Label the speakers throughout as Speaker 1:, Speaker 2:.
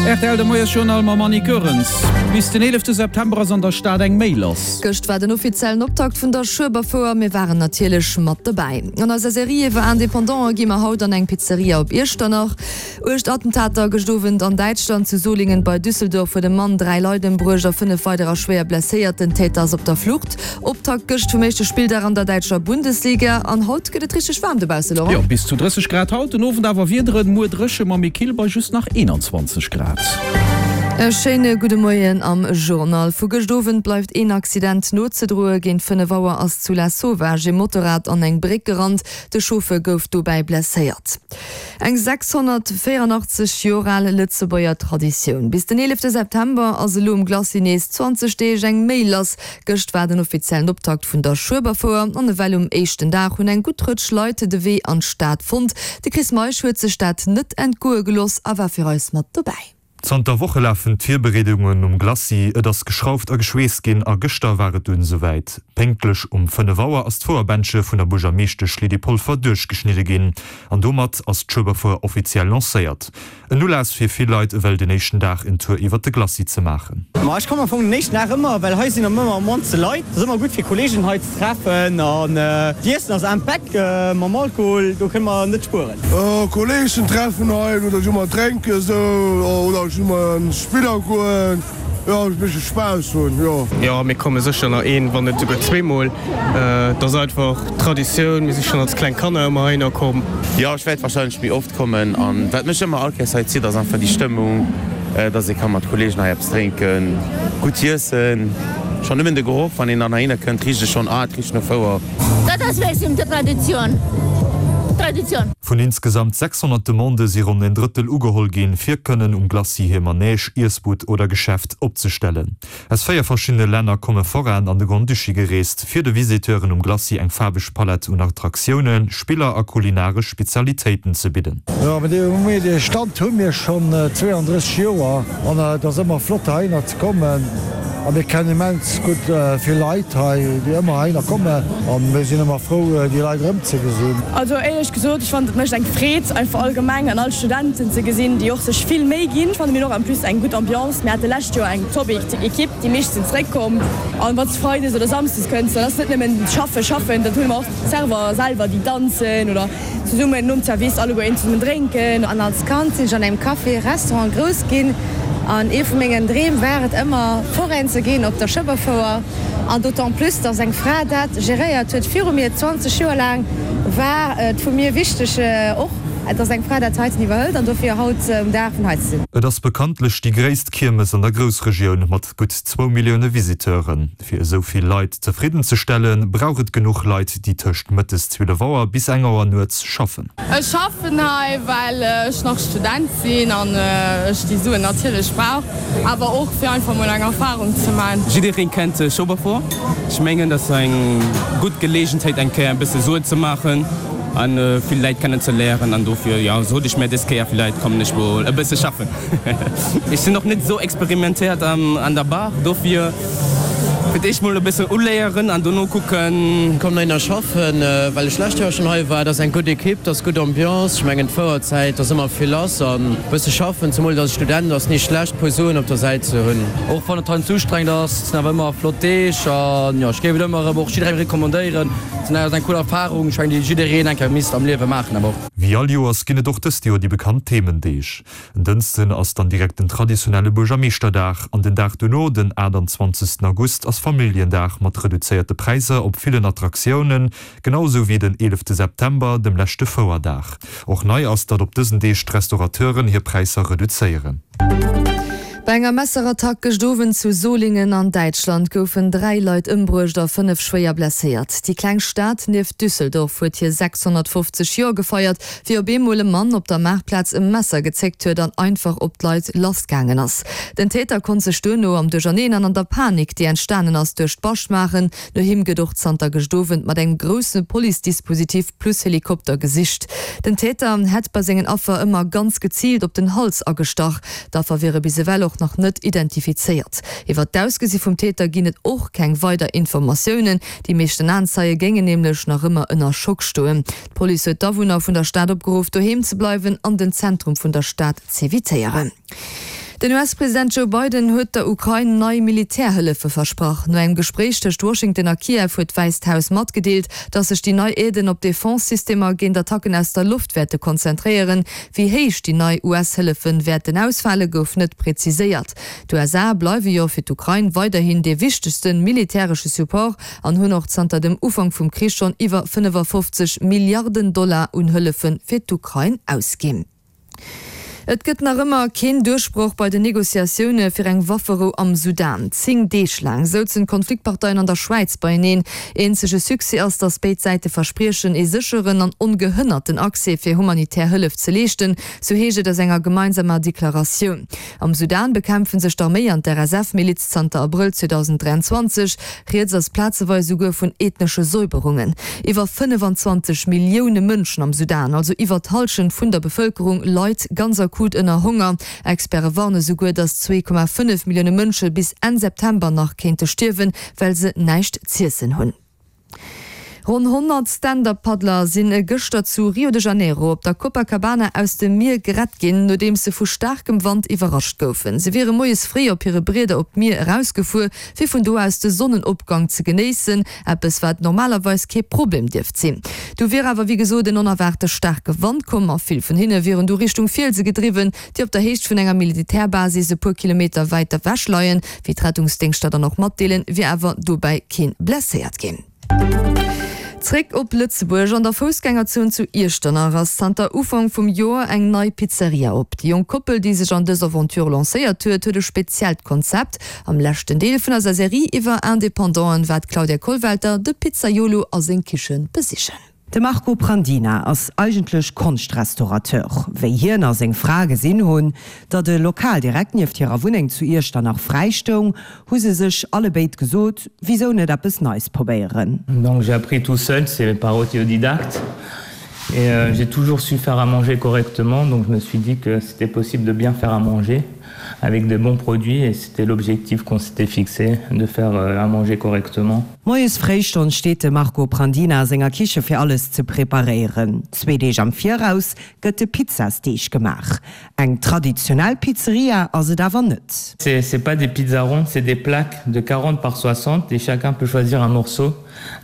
Speaker 1: Rtl de Moiesjournal mam Annie Goerens. Bis den 11 September ass an der Stad eng Méi lass.
Speaker 2: Gëscht war den offiziellen Optakt vun der Schueberfouer. Mir waren natierlech mat dobäi. An eiser Serie iwwer Independanten gi mer haut an eng Pizzeria op Iechternach. Uecht Attentater gëscht Owend an Däitschland. Zu Solingen bei Düsseldorf huet e Mann 3 Leit ëmbruecht a 5 weiderer schwéier blesséiert. Den Täter ass op der Flucht. Optakt gëscht vum éischte Spilldag an der däitscher Bundesliga. An haut gëtt et richteg waarm dobausse, Laurent.
Speaker 1: Jo, bis zu 30 Grad haut, den Owend awer Wiederen, muer dréche ma méi kill bei just nach 21 Grad.
Speaker 2: E schéine gudde Moien am Journal. Vu gëscht Owend bleift een Accident nozedroe. Géint 5 Auer ass zu Lasauvage ee Motorrad an eng Bréck gerannt. De Chauffeur gouf dobäi blesséiert. Eng 684 Joer al Lëtzebuerger Traditioun. Bis den 11 September ass elo um Glacis nees 20 Deeg eng Méi lass. Gëscht war den offiziellen Optakt vun der Schueberfouer an ewell um éischten Dag hunn eng gutt Rëtsch Leit de Wee an d'Stad fonnt. De Chris Meisch huet sech dat net entgoe geloss a war fir eis mat dobäi.
Speaker 3: Zanter Woche lafen d'Virbereedungen um Glacis, et ass geschrauft a geschweesst ginn a gëschter war et dunn esouwäit. Pénktlech um 5 Auer ass d'Fouerbändche vun der Buergermeeschtesch Lydie Polfer duerchgeschnidde ginn an domat ass d'Schueberfouer offiziell lancéiert. En Ulass fir vill Leit ewell den éischten Dag en Tour iwwert de Glacis ze maachen.
Speaker 4: Ma ech kommen am Fong den éischten Dag ëmmer, well hei sinn ëmmer am mannste Leit. Et ass ëmmer gutt fir Kollegen hei ze treffen an d'Iessen ass impec mam Alkohol, do kënne mer net spueren.
Speaker 5: Kollegen treffen hei oder jo mol drénken esou oder jo mol an Spiller goen, jo e bëssche Spaass hunn, jo.
Speaker 6: Jo, mir komme sécher nach een, wann net esouguer zweemol. Et ass einfach Traditioun, mir si schonn als kleng Kanner ëmmer heihinner komm.
Speaker 7: Jo, ech wäert warscheinlech méi oft kommen an wat mech ëmmer all Kéiers hei zitt ass einfach déi Stëmmung, dass ee ka mat Kollegen hei eppes drénken, gutt iessen. Schonn nëmmen de Geroch, wann een dann heihinner kënnt, richt e schonn, ah et richt no Fouer.
Speaker 8: Dat ass wéi Traditioun, Traditioun.
Speaker 3: Vun insgesamt 600 Demandë si ronn en Drëttel ugeholl ginn, fir kënnen um Glacis hir Manège, Iessbud oder Geschäft opzestellen. Aus 4 verschiddene Länner komme Forainen an de Grand-Duché gereest, fir de Visiteuren um Glacis eng faarweg Palett un Attraktiounen, Spiller a kulinaresch Spezialitéiten ze bidden.
Speaker 5: Jo, mee dee Stand hu mir schonn 32 Joer an et ass ëmmer flott heihinner ze kommen a mir kennen immens gutt vill Leit hei, déi ëmmer heihinner kommen a mir sinn ëmmer frou, déi Leit erëmzegesinn.
Speaker 9: Also éierlech gesot, ech fannen et mécht eng Freed einfach allgemeng an all Studenten ze gesinn, déi och sech vill Méi ginn. Ech fannen mir hunn och en plus eng gutt Ambiance. Mir hate lescht Joer eng top Equipe, déi meescht sinn zeréckkomm an wann s de Freides oder Samsdes kënns, dann ass net nëmmen schaffen, schaffen, dann hunn mer och d'Server selwer, déi danzen oder Zesummen nom Zerwiss alleguer een zesummen drénken.
Speaker 10: An als Kand sinn ech an engem Café Restaurant grouss ginn an ee vu mengen Dreem war et ëmmer Foraine ze ginn op der Schëbberfouer an d'autant plus dass eng Fra dat geréiert huet viru mir 20 Joer laang war et vu mir wichteg och dass eng Fra dat heiten iwwerhëlt an dofir haut um Dag vun hei ze sinn.
Speaker 3: Et ass bekanntlech déi gréisst Kiermes an der Groussregioun mat gutt zwou Millioune Visiteuren. Fir esou vill Leit zefridden ze stellen, brauch et genuch Leit, déi tëscht mëttes 12 Auer bis eng Auer nuets schaffen.
Speaker 11: Ech schaffen hei, well ech nach Student sinn an ech déi Suen natierlech brauch, awer och fir einfach mol eng Erfarung ze man.
Speaker 6: Jiddereen kennt Schueberfouer. Ech mengen, dat ass eng gutt Geleegenheet eng Kéier e bësse Suen ze maachen an vill Läit kennen ze léieren an dofir, jo, sot ech mir, dës Kéier villäit kommen ech mol e bësse schaffen. Ech sinn och net esou experimentéiert an der Bar, dofir fir d'éischt mol e bëssen uléieren an dono kucken.
Speaker 12: Komm heihinner schaffen, well ech lescht Joer schonn hei war. Et ass eng gutt Equipe, et ass gutt Ambiance. Ech mengen d'Fouerzäit, ass ëmmer vill lass an e bësse schaffen, zemol dass ech Student, ass ni schlecht puer Suen op der Säit ze hunn.
Speaker 13: Och wann et heiansdo ustrengend ass, et sinn awer ëmmer flott Deeg an jo, ech géif et ëmmer erëm och jidderengem recommandéieren. Et ass eng cool Erfarung, ech mengen déi jiddereen eng Kéier misst am Liewe maachen awer och.
Speaker 3: Wéi all Joers ginn et och dëst Joer déi bekannt Themendeeg. En Dënschden ass dann direkt den traditionelle Buergermeeschterdag an den Dag dono, den 28 August, ass Familljendag mat reduzéierte Präisser op villen Attraktiounen, genau esou wéi den 11 September, dem leschte Fouerdag. Och nei ass, datt op dësen Deeg d'Restaurateuren hir Präisser reduzéieren.
Speaker 2: Bei enger Messerattack gëscht Owend zu Solingen an Däitschland goufen 3 Leit ëmbruecht a 5 schwéier blesséiert. Déi kleng Stad nieft Düsseldorf huet hir 650 Joer gefeiert, wéi op eemol e Mann op der Maartplaz e Messer gezéckt huet an einfach op d'Leit lassgaangen ass. Den Täter konnt sech duerno am Duercherneen an an der Panik, déi entstanen ass, duerch d'Bascht maachen. No him gëtt och zanter gëscht Owend mat engem grousse Police-Dispositif plus Helikopter gesicht. Den Täter hätt bei sengen Affer ëmmer ganz geziilt op den Hals agestach. D'Affer wiere bis ewell och nach net identifizéiert. Iwwer d'Ausgesi vum Täter ginn et och keng weider Informatiounen. Déi meeschten Aenzeie géingen nämlech nach ëmmer ënner Schock stoen. D'Police huet d'Awunner vun der Stad opgeruff, doheem ze bleiwen an den Zentrum vun der Stad z'evitéieren. Den US-President Joe Biden huet der Ukrain nei Militärhëllefe versprach. No engem Gespréich tëscht Washington a Kiew huet d'Wäisst Haus matgedeelt, datt sech déi nei Aiden op Defense-Systemer géint Attacken aus der Loft wäerte konzentréieren. Wéi héich déi nei US-Hëllefe wäerten ausfale gouf net preziséiert. D'USA bleiwe jo fir d'Ukrain weiderhin dee wichtegste militäresche Support an hunn och zanter dem Ufank vum Krich schonn iwwer 55 Milliarden Dollar un Hëllefe fir d'Ukrain ausginn. Et gëtt nach ëmmer keen Duerchbroch bei den Negociatioune fir eng Wafferou am Sudan. 10 Deeg laang souzen d'Konfliktparteien an der Schwäiz beieneen. Eenzege Succès ass, datt béid Säite verspriechen, ee sécheren an ongehënnerten Accès fir humanitär Hëllef ze leeschten, sou heescht et aus enger gemeinsamer Deklaratioun. Am Sudan bekämpfe sech d'Arméi an d'RSF-Miliz zanter Abrëll 2023. Rieds ass plazeweis esouguer vun ethnesche Säuberungen. Iwwer 25 Millioune Mënschen am Sudan, also iwwer d'Hallschent vun der Bevëlkerung, leit ganz akut ënner Honger. Experte warne souguer, datt 2,5 Millioune Mënsche bis Enn September nach kéinte stierwen, well se näischt z'iessen hunn. Ronn 100 Stand-Up-Paddler sinn gëschter zu Rio de Janeiro op der Copacabana aus dem Mier gerett ginn, nodeems se vu staarkem Wand iwwerrascht goufen. Se wiere moies fréi op hire Brieder op d'Mier erausgefuer, fir vun do aus de Sonnenopgang ze genéissen, eppes wat normalerweis kee Problem dierft sinn. Du wier awer wéi gesot en onerwaarte staarke Wand komm a vill vun hinne wieren du Richtung Fielse gedriwwen, déi op der Héicht vun enger Militärbasis e puer Kilometer wäit ewech leien. Wéi d'Rettungsdéngschter dann och matdeelen, wier awer dobäi keen blesséiert ginn. Zréck op Lëtzebuerg. An der Foussgängerzon zu Iechternach ass zanter Ufank vum Joer eng nei Pizzeria op. Déi jonk Koppel, déi sech an dës Aventure lancéiert huet, huet e speziellt Konzept. Am leschten Deel vun eiser Serie iwwer Independanten war d'Claudia Kollwelter de Pizzaiolo a seng Kichen besichen.
Speaker 14: De Marco Prandina ass eigentlech Konschtrestaurateur. Wéi hien a seng Fra gesinn hunn, datt e Lokal direkt nieft hirer Wunneng zu Iechternach fräi stoung, hu se sech allebéid gesot, Wisou net eppes Neis probéieren?
Speaker 15: Donc j'ai appris tout seul, c'est par autodidacte et j'ai toujours su faire à manger correctement, donc je me suis dit que c'était possible de bien faire à manger avec de bons produits et c'était l'objectif qu'on s'était fixé de faire à manger correctement.
Speaker 14: Moies fréi schonn steet de Marco Prandina a senger Kiche fir alles ze preparéieren. Zwee Deeg am Viraus gëtt de Pizzasdeeg gemaach. Eng traditionell Pizzeria ass et awer net.
Speaker 15: C'est pas des pizzas rondes, c'est des plaques de 40 par 60 et chacun peut choisir un morceau.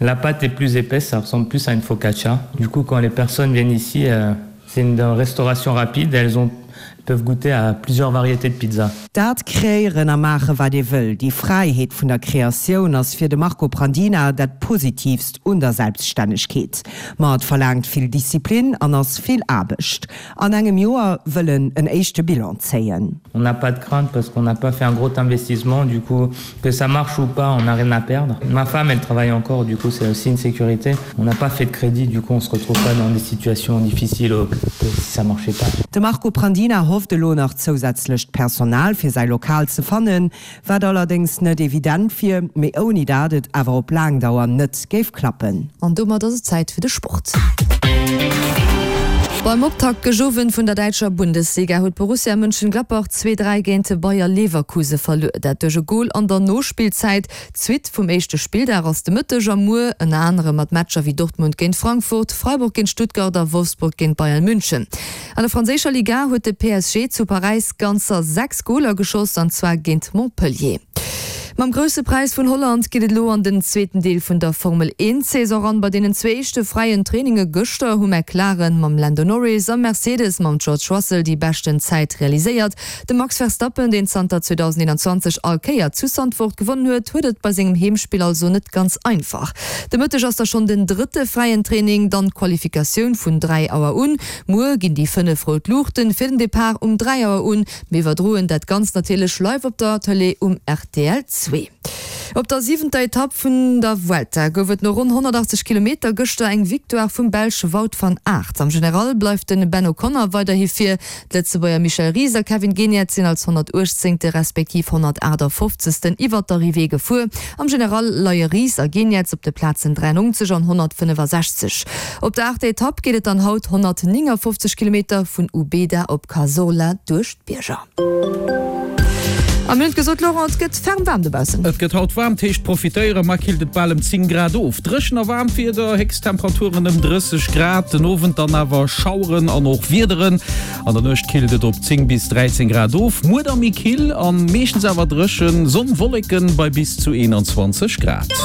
Speaker 15: La pâte est plus épaisse, ça ressemble plus à une focaccia. Du coup, quand les personnes viennent ici, c'est une restauration rapide, elles ont peuvent goûter à plusieurs variétés de pizza.
Speaker 14: Dat kreéieren a maache wat ee wëll, déi Fräiheet vun der Kreatioun ass fir de Marco Prandina dat Positiivst un der Selbststännegkeet. Ma et verlaangt vill Disziplin an ass vill Aarbecht. An engem Joer wëll en en éischte Bilan zéien.
Speaker 15: On n'a pas de crainte parce qu'on n'a pas fait un gros investissement, du coup que ça marche ou pas, on n'a rien à perdre. Ma femme, elle travaille encore, du coup c'est aussi une sécurité. On n'a pas fait de crédit, du coup on se retrouve pas dans des situations difficiles que si ça marchait pas.
Speaker 14: De Marco Prandina hofft elo nach zousätzlecht Personal fir säi Lokal ze fannen, wat allerdéngs net evident wier, mee ouni dat et awer op laang Dauer net géif klappen.
Speaker 2: An domat ass et Zäit fir de Sport. Beim Optakt gëscht Owend vun der däitscher Bundesliga huet Borussia Mönchengladbach 2, 3 géint Bayer Leverkuse verluer. Dat duerch e Gol an der Nospillzäit. D'Suite vum éischte Spilldag ass de Mëtteg a muer, ënner anerem mat Matcher wéi Dortmund géint Frankfurt, Freiburg géint Stuttgart a Wolfsburg géint Bayern München. An der franséischer Liga huet de PSG zu Paräis ganzer 6 Goler geschoss, an zwar géint Montpellier. Mam Grousse Präis vun Holland geet et elo an den zweeten Deel vun der Formel 1 Saison eran. Bei deenen zwee éischte fräien Traininge gëschter hu McLaren mam Lando Norris a Mercedes mam George Russell déi beschten Zäit realiséiert. De Max Verstappen, deen zanter 2021 all Kéier zu Zandvoort gewonnen huet, huet et bei sengem Heemspill also net ganz einfach. De Mëtteg ass da schonn den drëtte fräien Training, dann d'Qualifikatioun vun 3 Auer un. Muer ginn déi 5 rout Luuchten fir den Depart um 3 Auer un. Mir iwwerdroen dat Ganzt natierlech live op der Tëlee um rtl 2. Op der siwenter Etapp vun der Vuelta gouf et no ronn 180 Kilometer gëschter eng Victoire vum Belsch Wout van Aert. Am General bleift de Ben O'Connor weiderhi vir. D'Lëtzebuerger Michel Ries a Kevin Geniets sinn als 118. Respektiv 158. Iwwert d'Arrivée gefuer. Am General leie Ries a Geniets op de Plazen 93 an 165. Op der aachter Etapp geet et dann haut 159 Kilometer vun Ubeda op Cazorla duerch d'Bierger. A mir hunn et gesot, Laurent, et gëtt ferm waarm dobaussen.
Speaker 1: Et gëtt haut waarm, d'heescht profitéieren, mar killt et bal ëm 10 Grad of. Dréchen a waarmt Wieder, Héchsttemperaturen ëm 30 Grad, den Owend dann awer Schaueren an och Wiederen. An der Nuecht killt et op 10 bis 13 Grad of. Muer da méi kill an meeschtens awer dréchen, Sonn, Wolleken bei bis zu 21 Grad.